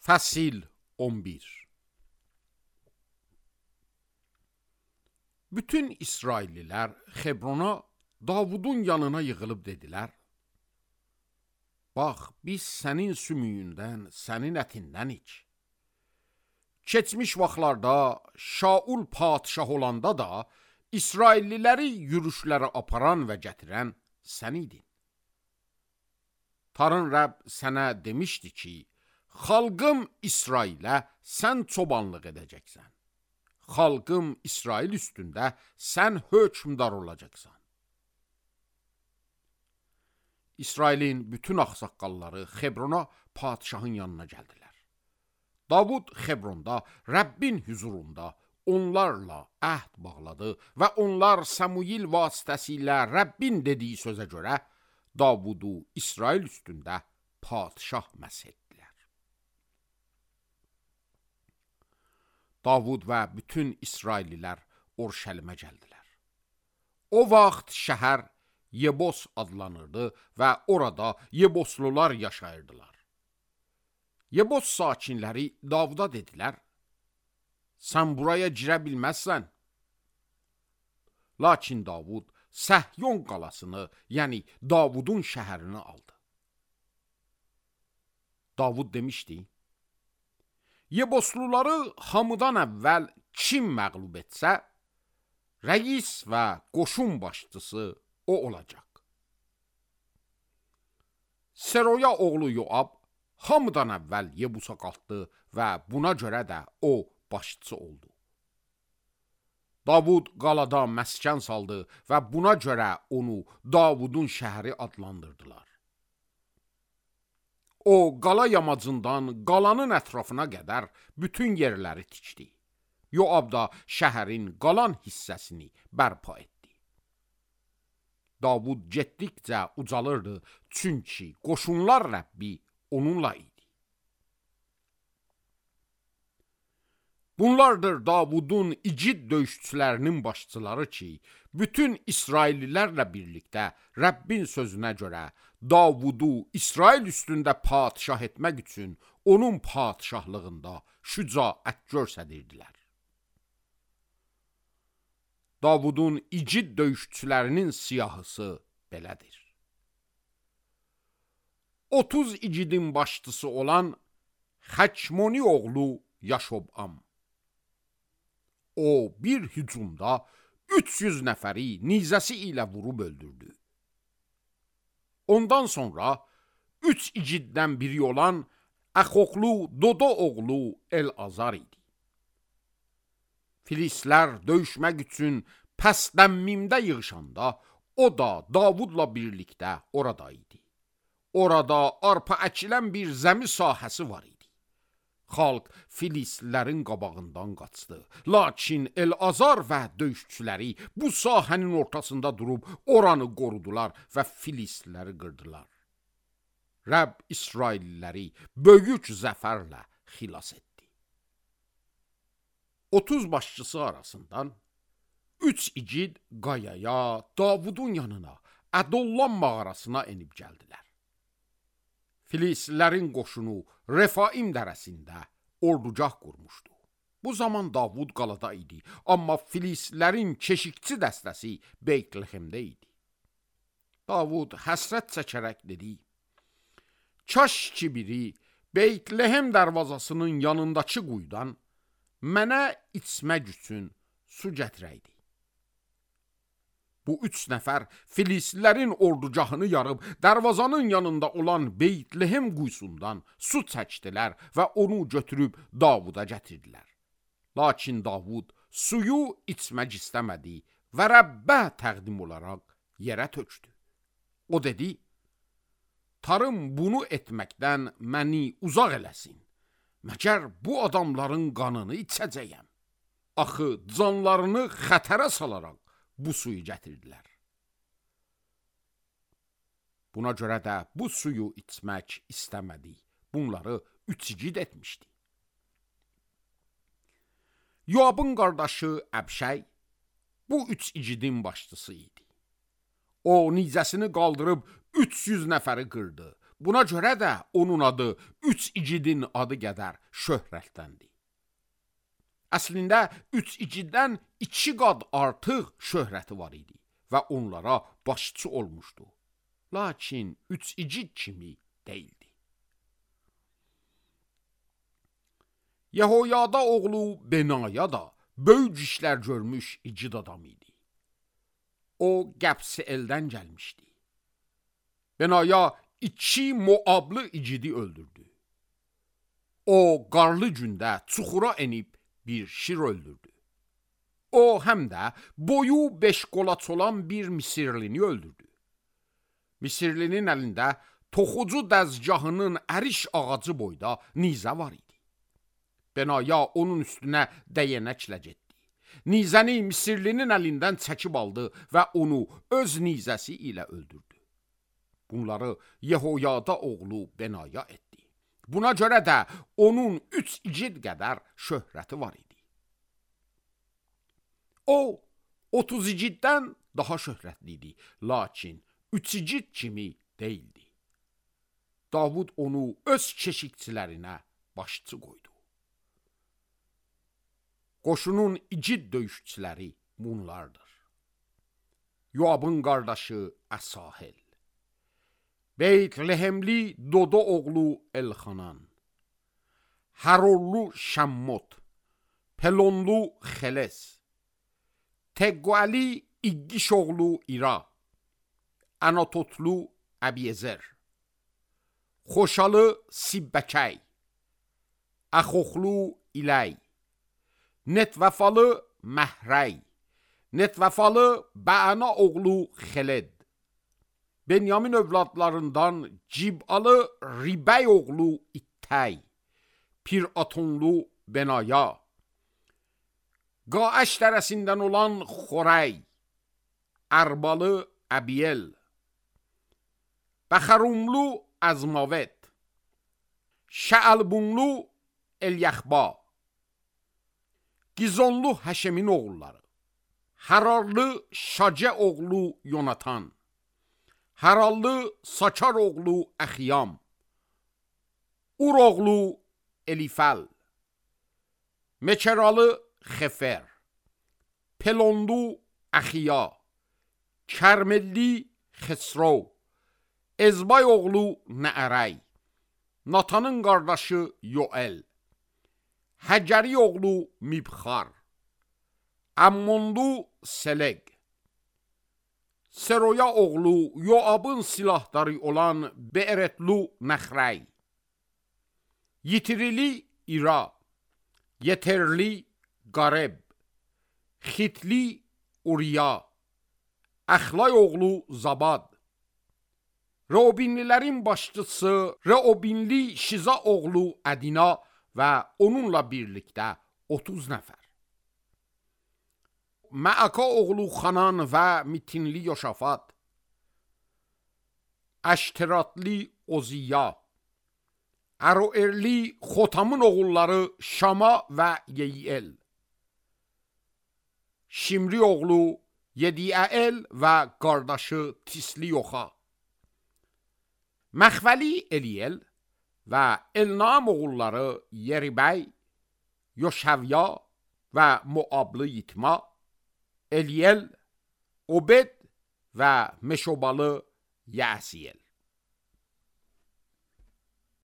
Fəsil 11. Bütün İsraillilər Xebrona Davudun yanına yığılıb dedilər: Bax, biz sənin sümüyündən, sənin ətindən iç. Keçmiş vaxtlarda Şaul padişah olanda da İsrailliləri yürüşlərə aparan və gətirən sən idin. Tanrı Rəbb sənə demişdi ki, xalqım İsrailə sən çobanlıq edəcəksən. Xalqım İsrail üstündə sən hökmdar olacaqsan. İsrailin bütün ağsaqqalları Xebrona padişahın yanına gəldilər. Davud Xebronda Rəbbin huzurunda onlarla əhd bağladı və onlar Samuil vasitəsilə Rəbbin dediyi sözə görə Davudu İsrail üstündə padişah məs etdilər. Davud və bütün İsraillilər Orşəlimə gəldilər. O vaxt şəhər Yebos adlanırdı və orada Yeboslular yaşayırdılar. Yebos sakinləri Davuda dedilər: Sən buraya girə bilməzsən. Lakin Davud Səhyon qalasını, yəni Davudun şəhərini aldı. Davud demişdi: Yebosluları hamıdan əvvəl kim məğlub etsə, rəis və qoşun başçısı o olacaq. Seroya oğlu Yoab hamıdan əvvəl Yebusa qalxdı və buna görə də o başçı oldu. Davud qalada məskən saldı və buna görə onu Davudun şəhəri adlandırdılar. O qala yamacından qalanın ətrafına qədər bütün yerləri tikdi. Yoab da şəhərin qalan hissəsini bərpa etdi. Davud getdikcə ucalırdı, çünki qoşunlar Rəbbi onunla idi. Bunlardır Davudun igid döyüşçülərinin başçıları ki, bütün İsraillilərlə birlikdə Rəbbin sözünə görə Davudu İsrail üstündə padişah etmək üçün onun padişahlığında şücaət göstərirdilər. Davudun igid döyüşçülərinin siyahısı belədir. 30 igidin başçısı olan Xəkmoni oğlu Yaşobam. O bir hücumda 300 nəfəri nizəsi ilə vurub öldürdü. Ondan sonra 3 igiddən biri olan Əxoqlu Dodo oğlu El-Azar idi. Filistlər döyüşmək üçün Pəsdəmmimdə yığışanda o da Davudla birlikdə orada idi. Orada arpa əkilən bir zəmi sahəsi var idi. Xalq Filistlərin qabağından qaçdı. Lakin El-Azar və döyüşçüləri bu sahənin ortasında durub oranı qorudular və Filistləri qırdılar. Rəbb İsrailliləri böyük zəfərlə xilas etdi. 30 başçısı arasından 3 igid qayaya, Davudun yanına, Ədollam mağarasına enib gəldilər. Filistlərin qoşunu Refaim dərəsində ordugah qurmuşdu. Bu zaman Davud qalada idi, amma Filistlərin keşikçi dəstəsi Beytlehemdə idi. Davud həsrət çəkərək dedi: Kaş ki biri Beytlehem dərvazasının yanındakı quyudan mənə içmək üçün su gətirəydi. Bu 3 nəfər Filistlərin ordugahını yarıb dərvazanın yanında olan Beytlehem quyusundan su çəkdilər və onu götürüb Davuda gətirdilər. Lakin Davud suyu içmək istəmədi və Rəbbə təqdim olaraq yerə tökdü. O dedi: Tarım bunu etməkdən məni uzaq eləsin. Məgər bu adamların qanını içəcəyəm. Axı canlarını xətərə salarak bu suyu gətirdilər. Buna görə də bu suyu içmək istəmədi. Bunları 3 igid etmişdi. Yoabın qardaşı Əbşəy bu 3 igidin başçısı idi. O nizəsini qaldırıb 300 nəfəri qırdı. Buna görə də onun adı 3 igidin adı qədər şöhrətdəndir. Əslində 3 igiddən 2 qat artıq şöhrəti var idi və onlara başçı olmuşdu. Lakin 3 igid kimi deyildi. Yehoyada oğlu Benaya da böyük işlər görmüş igid adam idi. O Qəbs eldən gəlmişdi. Benaya 2 Moablı igidi öldürdü. O qarlı gündə çuxura enib bir şir öldürdü. O həm də boyu 5 qolaç olan bir Misirlini öldürdü. Misirlinin əlində toxucu dəzgahının əriş ağacı boyda nizə var idi. Benaya onun üstünə dəyənəklə getdi. Nizəni Misirlinin əlindən çəkib aldı və onu öz nizəsi ilə öldürdü. Bunları Yehoyada oğlu Benaya etdi. Buna görə də onun 3 igid qədər şöhrəti var idi. O 30 igiddən daha şöhrətli idi, lakin 3 igid kimi deyildi. Davud onu öz keşikçilərinə başçı qoydu. Qoşunun igid döyüşçüləri bunlardır. Yoabın qardaşı Əsahel, Beytlehemli Dodo oğlu Elxanan, Harorlu Şammot, Pelonlu Xeles, Teqvali İggiş oğlu İra, Anatotlu Əbiyezer, Xoşalı Sibbəkəy, Əxoxlu İləy, Netvafalı Məhrəy, Netvafalı Bəana oğlu Xeled, Benyamin övladlarından Cib'alı Ribəy oğlu İttəy, Piratonlu Benaya, Qaəş dərəsindən olan Xorey, Ərbalı Əbiyel, Bəxərumlu Əzmavet, Şəəlbunlu Elyəxba, Gizonlu Həşemin oğulları, Hararlı Şacə oğlu Yonatan, Harallı Saçar oğlu Əxiyam, Ur oğlu Elifəl, Meçeralı Xefer, Pelonlu Əxiya, Kərmelli Xesro, Ezbay oğlu Nəərəy, Natanın qardaşı Yoel, Həcəri oğlu Mibxar, Ammonlu Seleg, Seroya oğlu Yoabın silahdarı olan Be'eretlu Nəxrəy, Yitirili İra, Yeterli Qareb, Xitli Uriya, Əxlay oğlu Zabad, Reobinlilərin başçısı Reobinli Şiza oğlu Ədina və onunla birlikdə 30 nəfər. Məaka oğlu Xanan və Mitinli Yoşafat, Əşteratli Oziya, Əroerli Xotamın oğulları Şama və Yeyiel, Şimri oğlu Yediəel və qardaşı Tisli Yoxa, Məxvəli Eliyel və Elnam oğulları Yeribəy, Yoşəvya və Moablı Yitma, Eliyel, Obed və Meşobalı Yəsiyel.